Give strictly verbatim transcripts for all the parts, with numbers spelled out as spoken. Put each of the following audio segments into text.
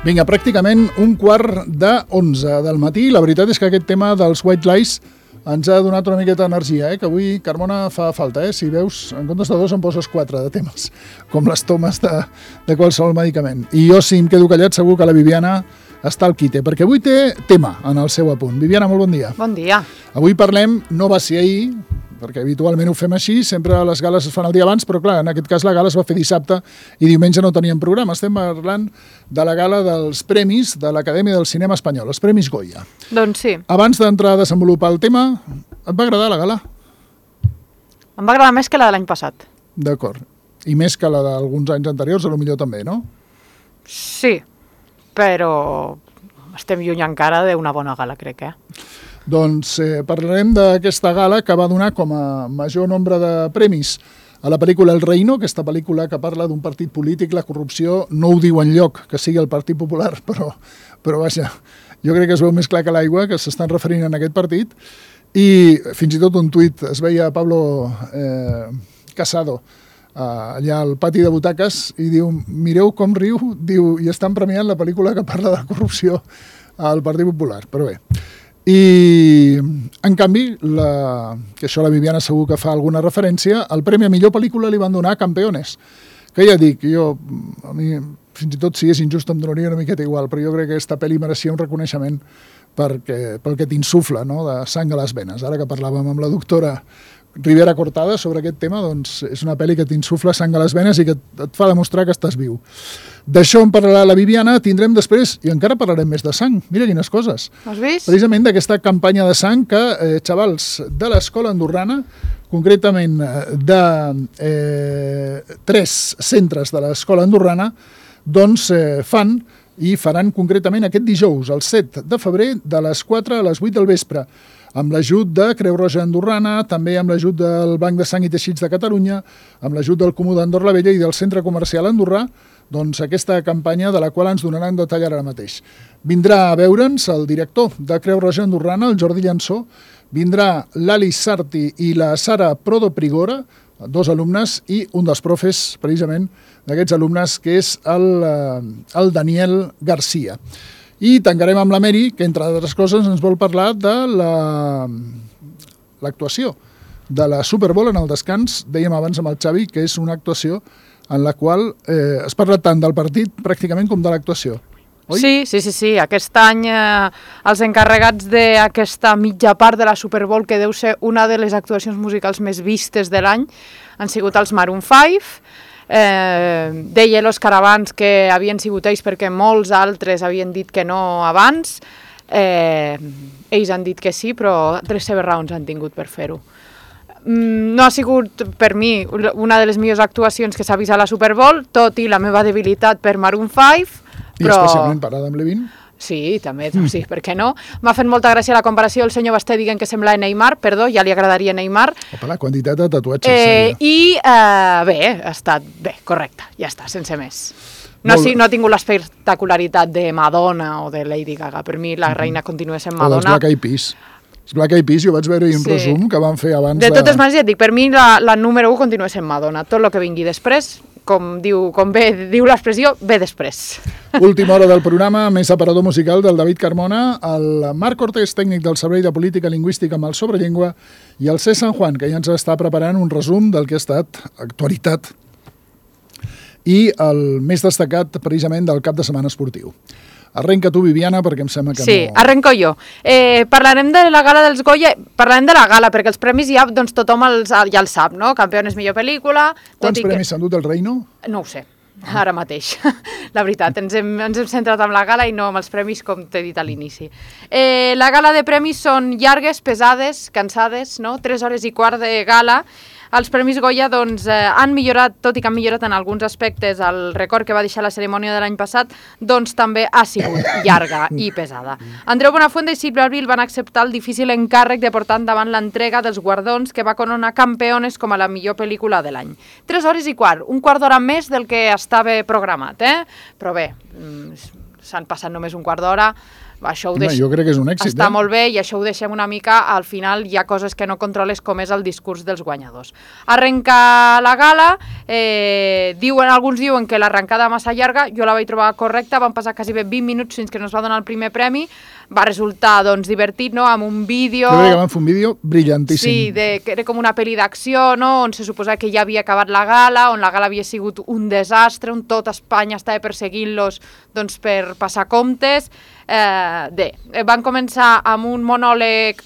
Vinga, pràcticament un quart de onze del matí. La veritat és que aquest tema dels white lies ens ha donat una miqueta d'energia, eh? Que avui, Carmona, fa falta, eh? Si veus, en comptes de dos em poses quatre de temes, com les tomes de, de qualsevol medicament. I jo, si em quedo callat, segur que la Viviana està al quite, perquè avui té tema en el seu apunt. Viviana, molt bon dia. Bon dia. Avui parlem, no va ser ahir, perquè habitualment ho fem així, sempre les gales es fan el dia abans, però clar, en aquest cas la gala es va fer dissabte i diumenge no teníem programa. Estem parlant de la gala dels premis de l'Acadèmia del Cinema Espanyol, els Premis Goya. Doncs sí. Abans d'entrar a desenvolupar el tema, et va agradar la gala? Em va agradar més que la de l'any passat. D'acord. I més que la d'alguns anys anteriors, a lo millor també, no? Sí, però estem lluny encara d'una bona gala, crec, eh? Doncs eh, parlarem d'aquesta gala que va donar com a major nombre de premis a la pel·lícula El Reino, aquesta pel·lícula que parla d'un partit polític, la corrupció, no ho diu enlloc que sigui el Partit Popular, però, però vaja, jo crec que es veu més clar que l'aigua, que s'estan referint en aquest partit, i fins i tot un tuit es veia Pablo eh, Casado eh, allà al pati de butaques i diu, mireu com riu, diu, i estan premiant la pel·lícula que parla de la corrupció al Partit Popular, però bé. I, en canvi, la, que això la Viviana segur que fa alguna referència, el premi a millor pel·lícula li van donar a Campeones, que ja dic, jo, a mi, fins i tot si és injust em donaria una miqueta igual, però jo crec que aquesta pel·li mereixia un reconeixement perquè, pel que t'insufla, no?, de sang a les venes. Ara que parlàvem amb la doctora Rivera Cortada sobre aquest tema, doncs és una pel·li que t'insufla sang a les venes i que et fa demostrar que estàs viu. D'això en parlarà la Viviana, tindrem després, i encara parlarem més de sang, mira quines coses. Has vist? Precisament d'aquesta campanya de sang que eh, xavals de l'escola andorrana, concretament de eh, tres centres de l'escola andorrana, doncs eh, fan i faran concretament aquest dijous, el set de febrer, de les quatre a les vuit del vespre, amb l'ajut de Creu Roja Andorrana, també amb l'ajut del Banc de Sang i Teixits de Catalunya, amb l'ajut del Comú d'Andorra la Vella i del Centre Comercial Andorrà, doncs aquesta campanya de la qual ens donaran detall ara mateix. Vindrà a veure'ns el director de Creu Roja Andorrana, el Jordi Llançó, vindrà l'Alice Sarti i la Sara Prodo Prigora, dos alumnes, i un dels profes, precisament, d'aquests alumnes, que és el, el Daniel Garcia. I tancarem amb la Mary, que, entre altres coses, ens vol parlar de l'actuació de la Super Bowl en el descans. Dèiem abans amb el Xavi que és una actuació en la qual eh, es parla tant del partit pràcticament com de l'actuació. Oi? Sí, sí, sí, sí. Aquest any eh, els encarregats d'aquesta mitja part de la Super Bowl, que deu ser una de les actuacions musicals més vistes de l'any, han sigut els Maroon five. Eh, deia l'Òscar abans que havien sigut ells perquè molts altres havien dit que no abans. Eh, ells han dit que sí, però les seves raons han tingut per fer-ho. Mm, no ha sigut, per mi, una de les millors actuacions que s'ha vist a la Super Bowl, tot i la meva debilitat per Maroon five. I però... especialment per Adam Levine. Sí, també, sí, per què no? M'ha fet molta gràcia la comparació del senyor Basté dient que sembla Neymar, perdó, ja li agradaria Neymar. Opa, la quantitat de tatuatges. Eh, I, eh, bé, ha estat bé, correcte, ja està, sense més. No, sí, no ha tingut l'espectacularitat de Madonna o de Lady Gaga. Per mi la reina continua sent Madonna. O dels Black Eyed Peas. Els Black Eyed Peas, jo vaig veure-hi un sí. resum que van fer abans de... De totes maneres, ja et dic, per mi la, la número u continua sent Madonna. Tot el que vingui després, com diu, com bé diu l'expressió, ve després. Última hora del programa, més aparador musical del David Carmona, el Marc Cortés, tècnic del Servei de Política Lingüística amb el Sobrellengua, i el C. San Juan, que ja ens està preparant un resum del que ha estat actualitat i el més destacat precisament del cap de setmana esportiu. Arrenca tu, Viviana, perquè em sembla que sí, no... Sí, arrenco jo. Eh, parlarem de la gala dels Goya, parlarem de la gala, perquè els premis ja, doncs, tothom els, ja els sap, no? Campeones millor pel·lícula... Quants premis s'han dut el Reino? No ho sé, ara mateix. La veritat, ens hem, ens hem centrat en la gala i no amb els premis, com t'he dit a l'inici. Eh, la gala de premis són llargues, pesades, cansades, no? Tres hores i quart de gala. Els Premis Goya doncs, eh, han millorat, tot i que han millorat en alguns aspectes, el record que va deixar la cerimònia de l'any passat, doncs també ha sigut llarga i pesada. Andreu Buenafuente i Sílvia Abril van acceptar el difícil encàrrec de portar endavant l'entrega dels guardons que va coronar Campeones com a la millor pel·lícula de l'any. Tres hores i quart, un quart d'hora més del que estava programat, eh? Però bé, s'han passat només un quart d'hora, Això ho Home, deix... jo crec que és un èxit. Està eh? molt bé i això ho deixem una mica, al final hi ha coses que no controles com és el discurs dels guanyadors. Arrenca la gala, eh, diuen, alguns diuen que l'arrencada massa llarga, jo la vaig trobar correcta, van passar quasi bé vint minuts fins que no es va donar el primer premi, va resultar doncs divertit, no?, amb un vídeo... Jo crec que van fer un vídeo brillantíssim. Sí, de, que era com una pel·li d'acció, no?, on se suposa que ja havia acabat la gala, on la gala havia sigut un desastre, on tot Espanya estava perseguint-los doncs, per passar comptes. Eh, bé, van començar amb un monòleg,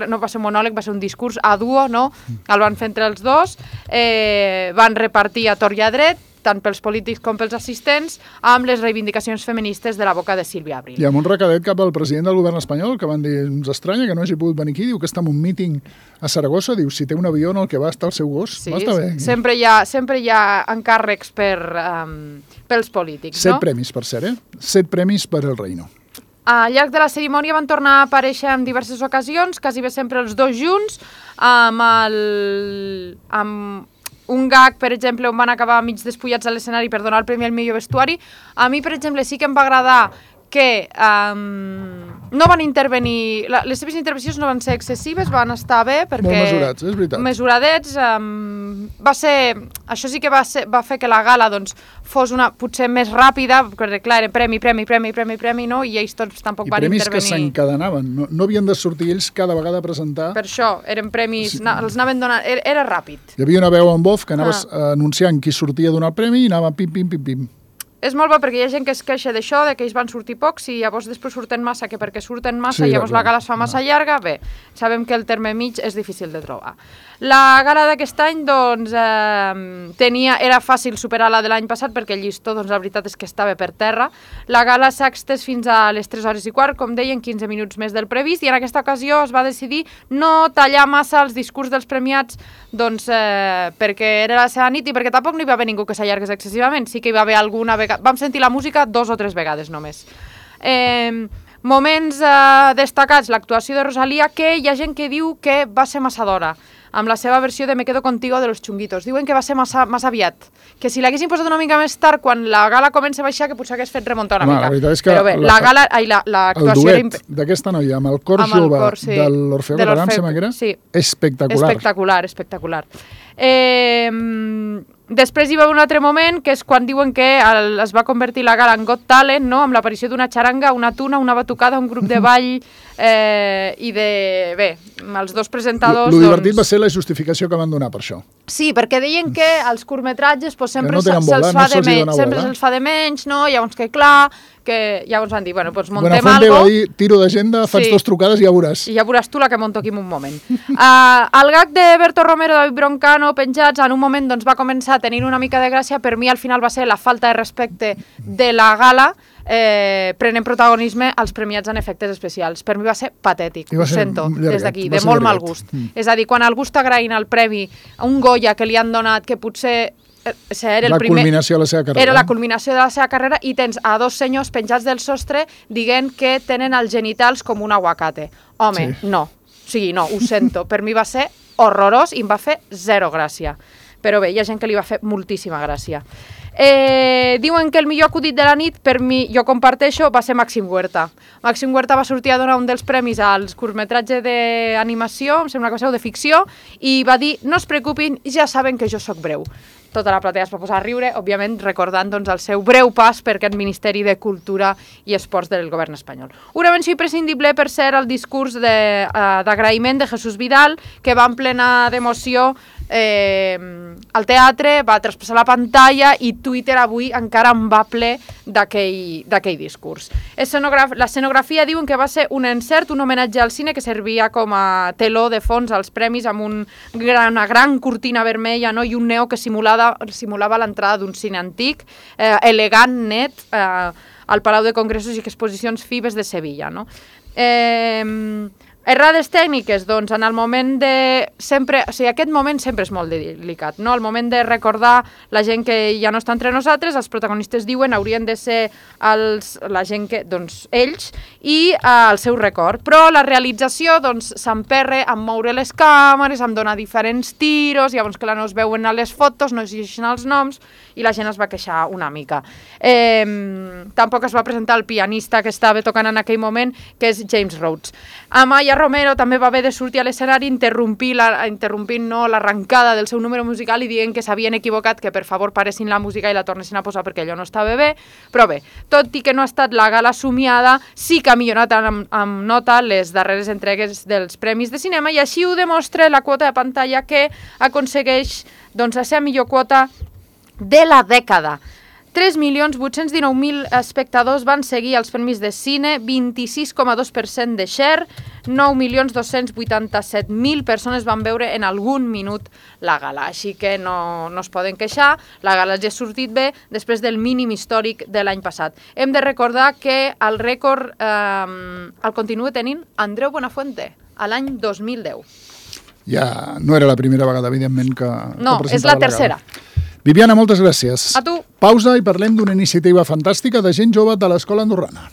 no va ser un monòleg, va ser un discurs a duo, no?, el van fer entre els dos, eh, van repartir a tort i a dret, tant pels polítics com pels assistents, amb les reivindicacions feministes de la boca de Sílvia Abril. I amb un recadet cap al president del govern espanyol, que van dir, ens estranya que no hagi pogut venir aquí, diu que està en un míting a Saragossa, diu, si té un avió en el que va estar el seu gos, sí, va estar bé. Sempre hi ha, sempre hi ha encàrrecs per, um, pels polítics, Set no? premis, per cert, eh? Set premis per el Reino. Al llarg de la cerimònia van tornar a aparèixer en diverses ocasions, quasi bé sempre els dos junts, amb el... amb un gag, per exemple, on van acabar mig despullats a l'escenari per donar el premi al millor vestuari. A mi, per exemple, sí que em va agradar que um, no van intervenir, la, les seves intervencions no van ser excessives, van estar bé perquè... Molt mesurats, és veritat. Mesuradets, um, va ser... Això sí que va, ser, va fer que la gala doncs, fos una potser més ràpida, perquè clar, era premi, premi, premi, premi, premi, no? I ells tots tampoc I van intervenir. I premis que s'encadenaven, no, no havien de sortir ells cada vegada a presentar. Per això, eren premis, sí. na, els anaven donant, era, era ràpid. Hi havia una veu en off que anaves ah. anunciant qui sortia a donar el premi i anava pim, pim, pim, pim. És molt bo perquè hi ha gent que es queixa d'això, de que ells van sortir pocs i llavors després surten massa, que perquè surten massa sí, llavors la gala es fa massa no. llarga. Bé, sabem que el terme mig és difícil de trobar. La gala d'aquest any, doncs, eh, tenia, era fàcil superar la de l'any passat perquè el llistó, doncs, la veritat és que estava per terra. La gala s'ha extès fins a les tres hores i quart, com deien, quinze minuts més del previst, i en aquesta ocasió es va decidir no tallar massa els discurs dels premiats, doncs, eh, perquè era la seva nit i perquè tampoc no hi va haver ningú que s'allargués excessivament. Sí que hi va haver alguna vegada... Vam sentir la música dos o tres vegades només. Eh, moments eh, destacats, l'actuació de Rosalía, que hi ha gent que diu que va ser massa d'hora, amb la seva versió de Me quedo contigo de los Chunguitos. Diuen que va ser massa, massa aviat, que si l'haguessin posat una mica més tard, quan la gala comença a baixar, que potser hagués fet remuntar una Home, mica. La veritat és que però bé, la, la gala, ai, la, la actuació... El duet era... d'aquesta noia amb el cor amb jove el cor, sí, de l'Orfeo Català, em sembla que era, sí. espectacular. Espectacular, espectacular. Eh, després hi va haver un altre moment, que és quan diuen que el, es va convertir la gala en Got Talent, no? Amb l'aparició d'una xaranga, una tuna, una batucada, un grup de ball eh, i de... Bé, els dos presentadors... Lo divertit doncs... va ser la justificació que van donar per això. Sí, perquè deien que els curtmetratges pues, sempre no se'ls bola, fa, no se de menys, sempre se'ls fa de menys, no? Llavors que clar, que llavors van dir, bueno, doncs montem algo... Buenafuente va dir, tiro d'agenda, faig sí. dos trucades i ja veuràs. I ja veuràs tu la que monto aquí en un moment. uh, el gag de Berto Romero i David Broncano penjats, en un moment doncs, va començar a tenir una mica de gràcia, per mi al final va ser la falta de respecte de la gala, eh, prenent protagonisme als premiats en efectes especials. Per mi va ser patètic, ho sento, des d'aquí, de molt mal gust. Mm. És a dir, quan algú està agraint el premi a un Goya que li han donat, que potser... Era el la primer, culminació de la seva carrera. Era la culminació de la seva carrera i tens a dos senyors penjats del sostre dient que tenen els genitals com un aguacate. Home, sí. no. O sigui, no, ho sento. Per mi va ser horrorós i em va fer zero gràcia. Però bé, hi ha gent que li va fer moltíssima gràcia. Eh, diuen que el millor acudit de la nit, per mi, jo comparteixo, va ser Màxim Huerta. Màxim Huerta va sortir a donar un dels premis als curtmetratge d'animació, em sembla que va ser de ficció, i va dir, no es preocupin, ja saben que jo sóc breu. Tota la platea es va posar a riure, òbviament recordant doncs, el seu breu pas per aquest Ministeri de Cultura i Esports del govern espanyol. Una menció imprescindible per ser el discurs d'agraïment de, uh, de Jesús Vidal, que va en plena d'emoció eh, al teatre, va traspassar la pantalla i Twitter avui encara en va ple d'aquell discurs. Escenograf L'escenografia diuen que va ser un encert, un homenatge al cine que servia com a teló de fons als premis amb un gran, una gran cortina vermella, no? I un neo que simulava, simulava l'entrada d'un cine antic, eh, elegant, net, eh, al Palau de Congressos i Exposicions Fibes de Sevilla. No? Eh, Errades tècniques, doncs, en el moment de... sempre, o sigui, aquest moment sempre és molt delicat, no? El moment de recordar la gent que ja no està entre nosaltres, els protagonistes diuen haurien de ser els, la gent que, doncs, ells, i eh, el seu record. Però la realització, doncs, s'emperra amb moure les càmeres, amb donar diferents tiros, llavors que no es veuen a les fotos, no es llegeixen els noms, i la gent es va queixar una mica. Eh, tampoc es va presentar el pianista que estava tocant en aquell moment, que és James Rhodes. Amaya Romero també va haver de sortir a l'escenari interrompint la, interrompint no, l'arrencada del seu número musical i dient que s'havien equivocat, que per favor paressin la música i la tornessin a posar perquè allò no estava bé. Però bé, tot i que no ha estat la gala somiada, sí que ha millorat amb, amb nota les darreres entregues dels Premis de Cinema i així ho demostra la quota de pantalla que aconsegueix doncs, la seva millor quota de la dècada. tres milions vuit-cents dinou mil espectadors van seguir els Premis de Cine, vint-i-sis coma dos per cent de share, nou milions dos-cents vuitanta-set mil persones van veure en algun minut la gala, així que no, no es poden queixar, la gala ja ha sortit bé després del mínim històric de l'any passat. Hem de recordar que el rècord eh, el continua tenint Andreu Buenafuente, a l'any dos mil deu. Ja no era la primera vegada, evidentment, que No, que és la tercera. La Viviana, moltes gràcies. A tu. Pausa i parlem d'una iniciativa fantàstica de gent jove de l'Escola Andorrana.